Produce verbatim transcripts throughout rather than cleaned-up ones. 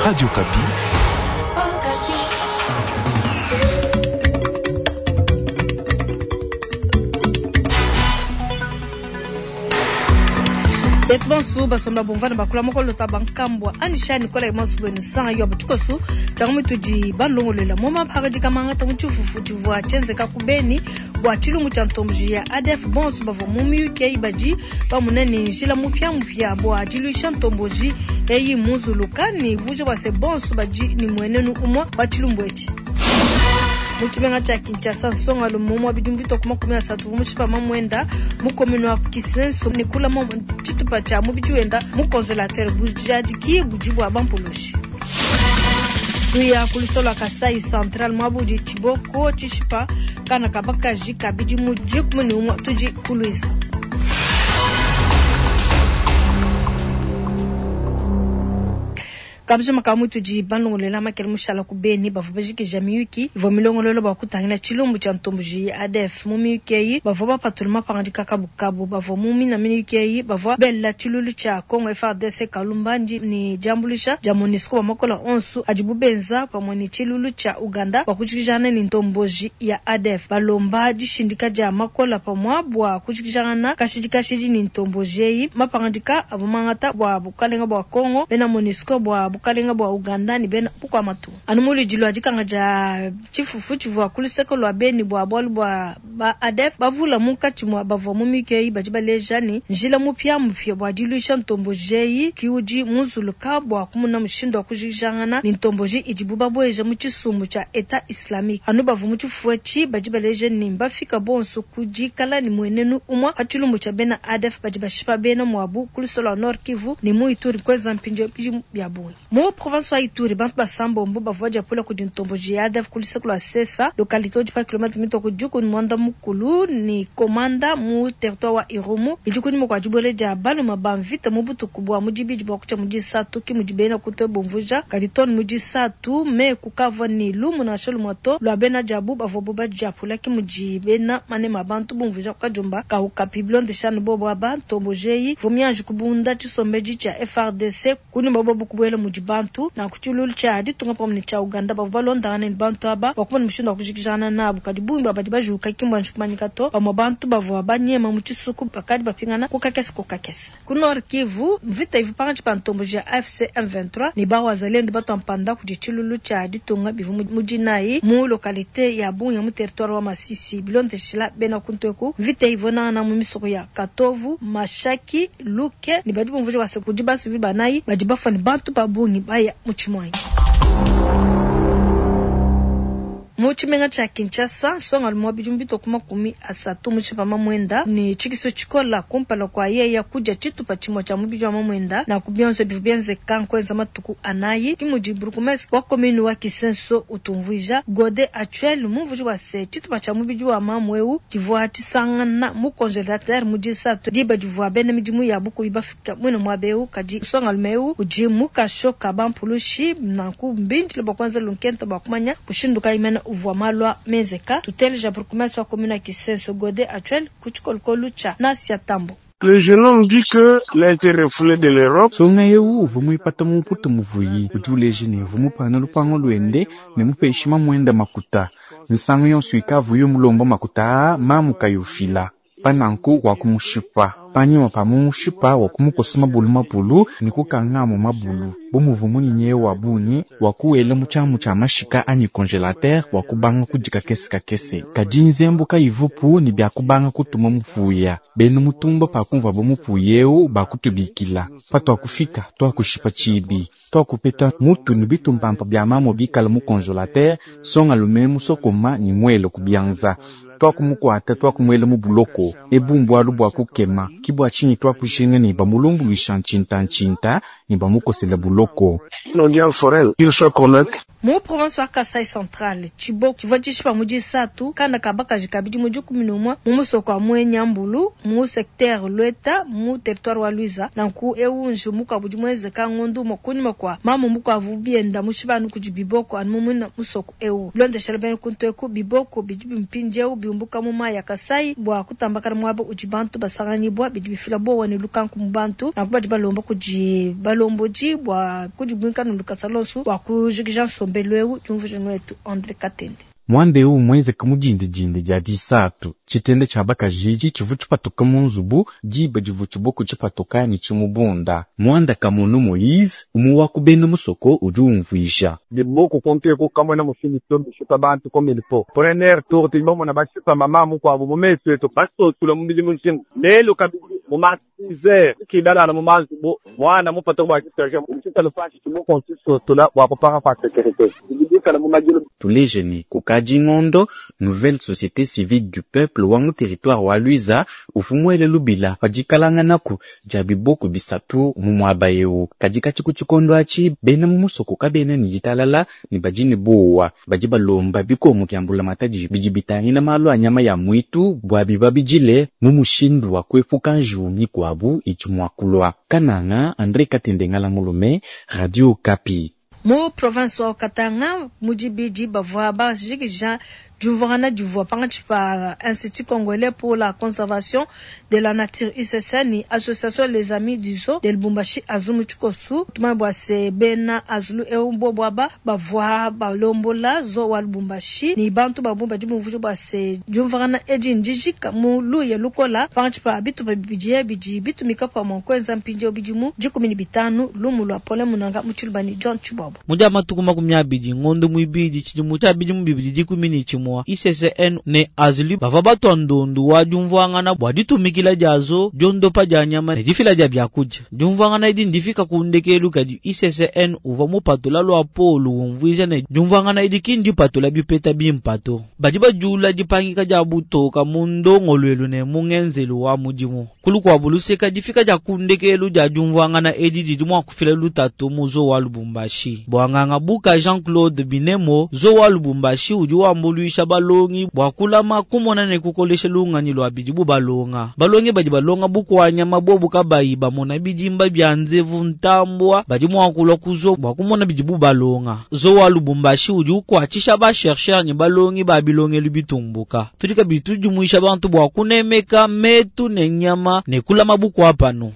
Radio Okapi. Betu bonso basomba bumvana bakula mokolota bankambwa anisha nikola imonso bwenu sanga yo butukosu tjangu mitudi balongolela mo maphakadi kamangata mu tshifufu tshivua tshienzeka ku Beni bua tshilumbu tshia ntomboji ya A D F bonso bavua mu miyuki badi bamuna ne njila mupiamupia bua diluisha ntomboji eyi munzuluka ne vuja bua se bonso badi ne muenenu umue wa tshilumbu etshi. Mu tshimenga tshia Kinshasa, nsonga lumomo wa bidimu bitue makumi asatu mu mushipa mamwenda mu commune wa Kisenso ne kulama tshitupa tshia mubidi wenda mu congélateur bujadiki budi bua bampulushi. Kuya ku lusolo lua Kasai Central mwabudi tshiboko tshishipa kana kabakaji kabidi mu dikumi ne umue tudi kuluisa. Kabija makamu tudi balongolela makele mushala ku Beni bavua bajikija miyuki ivua milongololo bua kutangila tshilumbu tshia ntomboji ya A D F mu miyuki eyi bavua bapatula mapangadika kabukabu bavua mu mina miyuki eyi bavua bela tshilulu tshia Congo F R D C Kalumbandi ne diambuluisha dia MONUSCO ba makola onso adibu benza pamue ne tshilulu tshia Uganda bua kujikijana ne ntomboji ya A D F balomba dishindika dia makola pamue bua kujikijana kashidi kashidi ne ntomboji eyi mapangadika avua mangata bua bukalenga bua Congo bena MONUSCO bua bukalenga bua Uganda ne bena bukwamatu. Anu muludi lua dikanga dia tshifufu tshivua ku luseke lua Beni bua bualu bua ba A D F bavula munkatshi mua bavua mu miyuki eyi badi baleja ne njila mupiamupia bua diluisha ntomboji eyi ki udi munzuluka bua kumuna mushindu wa kujikijangana ne ntomboji idibu babueja mu tshisumbu tshia Etat Islamique. Anu bavua mu tshifufu etshi badi baleja ne mbafika bonso ku dikala ne muenenu umue pa tshilumbu tshia bena A D F badi bashipa bena muabu ku luseke lua Nord Kivu ne mu Ituri kweza mpindieu bidimu bia bungi. Mu province wa Ituri bantu basambombo bavua diapula kudi ntomboji ya A D F ku luseke lua Sesa localité udi pa kilomètre mitoko diku ni mwanda mukulu ni komanda mu territoire wa Irumu bidi kunyima kua dibuela dia baluma ba mvita mu butuku bua mu dibidi bua kutshia mu disatu ki mudi bena kute bumvuja kadi tone mu disatu me kukavua ni lumu nansha lumue to lua bena diabu bavua bo badiapula ki mudi bena manema bantu bumvuja kukajumba kaukapi bilondeshanu bobo aba ntomboji eyi vumianji kubunda tshisombedi tshia F R D C kunyima bobo kubuela mudi bantu na kutshilulu tshia ditunga pamue ne tshia Uganda bavua balondangana ne bantu aba bua kumona mushindu wa kujikijana nabu kadi bungi bua badi bajuka ki mbua ntshikumanyika to bamue bantu bavua banyema mu tshisuku bakadi bapingana ku kakese ku kakese. Ku Nord Kivu mvita ivu pakatshi pa ntomboji ya A F C M vingt-trois ne ba wazalendo batua mpanda kudi tshilulu tshia ditunga bivua mu dinayi mu localité ya Bunya mu territoire wa Masisi bilondeshila bena kunteku mvita ivua nangana mu misoko ya Katovu, Mashaki, Luke ne badi bumvuja bua se kudi basivi banayi badi bafua ne bantu ba bungi baya mu tshimwanyi. Mu tshimenga tshia Kinshasa, nsonga lumue bidimu bitue ku makumi asatu mu tshipa mamwenda ne tshikisu tshikola kumpala kua yeya kudia tshitupa tshimue tshia mubidi wa mamwenda na ku bionso bivua bienzeka nkuenza matuku anayi. Ki mudi bourgmestre wa commune wa Kisenso utumvuija Gode Atuel mumvuji wa se tshitupa tshia mubidi wa mamu eu tshivua tshisangana mu congélateur mu disatu diba divua bena midimu ya bukubi bafika muine muaba eu kadi nsonga lume eu udi mu kasho ka bampulushi nanku mbindile bua kuenza lunkenta bua kumanya mushindu kayi mene uvua malwa mezeka tuteleja bourgmestre wa commune ya Kisenso Gode Atuel ku tshikolokolo tshia Nasia Tambo. Le jeune homme dit que il a été refoulé de l'Europe. Songa yewu uvua muipata mu mputu muvuyi udi uleja ne uvua mupana lupango luende ne mupeshima mwenda makuta misangu yonso ikavuyo mulomba makuta aa mamu kayufila pananku wa kumushipa panyima pa mumushipa wa kumukosa mabulu mabulu ne kukanga mu mabulu bu muvua munyinyi wa bungi wa kuwela mu tshiamu tshia mashika anyi congélateur wa kubanga kudika kese kakese kadi nzembu kayivupu ne bia kubanga kutuma mupuya benu mutumba pa kumvua bo mupuya eu bakutubikila pa twakufika twakushipa tshibi twakupeta mutu ne bitumpampa bia mamo bikala mu congélateur songa lume musokoma ni mwelo kubianza twakumukwata twakumuela mu buloko ebumbwalu bwa kukema kibwa chinyi twakushinga ne bamulumbuluisha ntshinta ntshinta ne bamukosela buloko. Non, Forel, qu'il soit connaître. Mu province wa Kasai Central, tshiboko tshivua tshishipa mu disatu kana ka bakaji ka bidimu dikumi ne umue mu musoko wa Mwenyambulu mu secteur Lueta mu territoire wa Luiza. Nanku ewu nji mukuabu udi muenzeka ngondu umue kunyima kua mamu mukuabu bienda mushibanu kudi biboko anu mu musoko ewu. Bilondeshela bena kuntu eku biboko bidi mpindieu biumbuka mu mayi ya Kasai bua kutambakana muaba udi bantu basanganyibua bidi bifila bowa ne lukanku mu bantu. Nanku badi balomba kudi balombodi bua kudibuinka ne lukasa lonso bua kujikija nsombelu eu. Diumvuija wetu Andre Katende. Mwanda eu mwenzeka mu dindidindi dia disatu tshitende tshia bakajiji tshivu tshipatuka mu nzubu diba divu tshiboko tshipatuka ne tshimubunda. Mwanda Kamono Moïse umwe wa kubena musoko udi umvuija. Biboko konte ko kamona mushindu to bishipa bantu comme il faut. Premier tour ti bomona bashipa mama mukwabo mu meso etu basotula mu milimu nshima. Lelo kabidi mu ma six heures kidala na mu mazubu mwana mupata kwa kitaka mshita lufashi tshiboko nsotula wa kupaka kwa sécurité. Bibikala mu majilo. Tuleje ni kukaji ngondo nouvelle société civile du peuple wangu territoire wa Luiza ufumwele lubila pajikalanga naku dia biboko bisatu mu mwaba eu kadika tshiku tshikondo atshi bena mu musoko kabena ni ditalala ni badi bowa badi balomba bikongo bya matadi bidi bitangila malu a nyama ya mwitu bua biba bijile mu mushindu wa kuepuka njiwu mikuabu idi mua kulua. Kananga Andre Katende Ngala Mulume, Radio Kapi. Mu province wa Katanga mudibidi bavua bajikija diumvuangana divua pankatshi pa Institut congolais pour la conservation de la nature I C C N ni association les amis du zoo de Lubumbashi Azumu Tshikosu. Tumanye bua se bena Azulu eu bobo aba bavua balombola zoo wa Lubumbashi ni bantu babumba dimumvuija bua se diumvuangana edi ndijika mu luya lukola pankatshi pa bitupa bibidi bidi bitumika pamue kuenza mpindieu bidimu dikumi ne bitanu. Lumu lua Paulin Munanga mu Tshilubani John Tshibobo. Mudia matuku makumi abidi ngondo muibidi tshidimu tshia bidimu bibidi dikumi ne tshimue I C C N ne Azulu bavua batua ndondu wa diumvuangana bua ditumikila diazo diondopa dia nyama ne difila dia biakudia. Diumvuangana edi ndifika ku ndekelu kadi I C C N uvua mupatula lua polu umvuija ne diumvuangana edi ki ndipatula bipeta bimpato. Badi bajula dipangika dia butoka mu ndongoluelu ne mu ngenzelu wa mudimu. Kulu kua buluseka difika dia ku ndekelu dia diumvuangana edi didi mua kufila lutatu mu zoo wa Lubumbashi. Bwanganga buka Jean-Claude Binemo zoo wa Lubumbashi udi wambuluisha balongi bua kulama kumona ne kukolesha lunganyi lwa bidibu balonga. Balongi badi balonga bukwanya mabobu kabayi bamona bidimba bya nzevu ntambwa badi mua kulwa kuzo bua kumona bidibu balonga. Zoo wa Lubumbashi udi ukwatshisha ba chercheur ne balongi ba bilongelu bitumbuka. Tudi kabidi tudimwisha bantu bua kunemeka metu ne nyama ne kulama bukwa pano.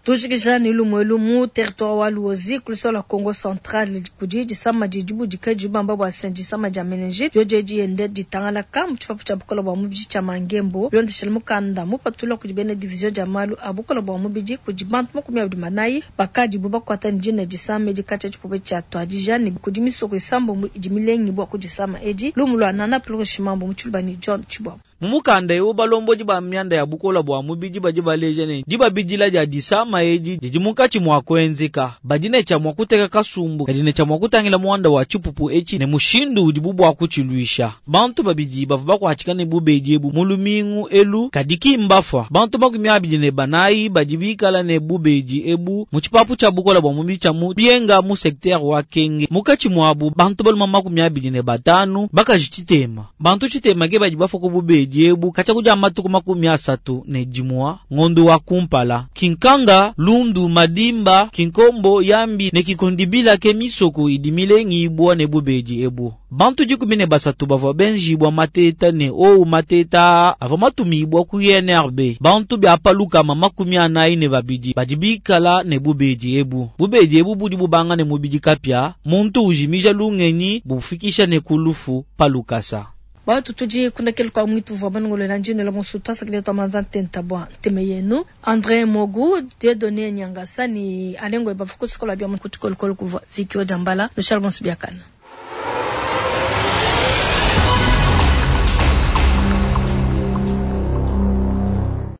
Tujikija ni lumwelu mu territoire wa Luozi kuliso la Congo Central kudi disama didibu dikaji bamba bwa sen disama dia meningite joje diende ditangala ka mu tshipapu tshia bukola bua mubidi tshia Mangembo bilondeshela mukanda mupatula kudi bena division dia malu a bukola bua mubidi kudi bantu makumi abidi manayi bakadi bu bakwata ndine disama edi katshia tshipupu tshia tuadija ne kudi misoko isambo mu idi milengi bua kudisama edi lumu lua Nana Plurishimambo mu Tshilubani John Tshibobo. Mumukanda eu balombodi ba myanda ya bukola bua mubidi badi baleja ne dibabidila dia disama edi didi munkatshi mua kuenzeka. Badi ne tshia mua kuteka kasumbu kadi ne tshia mua kutangila muanda wa tshipupu etshi ne mushindu udibu bua kutshiluisha. Bantu babidi bavua bakuatshika ne bubedi ebu mu lumingu elu kadi ki mbafua. Bantu makumi abidi ne banayi badi bikala ne bubedi ebu mu tshipapu tshia bukola bua mubidi tshia mu Bienga mu secteur wa Kenge. Munkatshi muabu bantu baluma makumi abidi ne batanu bakaji tshitema. Bantu tshitema ke badi bafua ku bubedi ebu katshia kudia matuku makumi asatu ne dimua ngondo wa kumpala. Kinkanga, Lundu, Madimba, Kinkombo, Yambi ne Kikondibila ke misoko idi milengi ibwa ne bubedi ebu. Bantu dikumi ne basatu bavua benjibwa mateta ne ou mateta avua matumibwa ku I N R B. Bantu bia palukama makumi anayi ne babidi badi bikala ne bubedi ebu. Bubedi ebu budi bubanga ne mubidi kapia, muntu ujimija lungenyi bufikisha ne kulufu palukasa. Batu tudi kundakele kwa mwitu vwa banongolo na njino la musuta sakile twa manza ntenta bwa nteme yenu. André Mogu, Dieudonné Nyangasa ni alengo ebafuku sikola bia mkutukolokolo kuvwa Vicky Ojambala, Charles Bonsubiakana.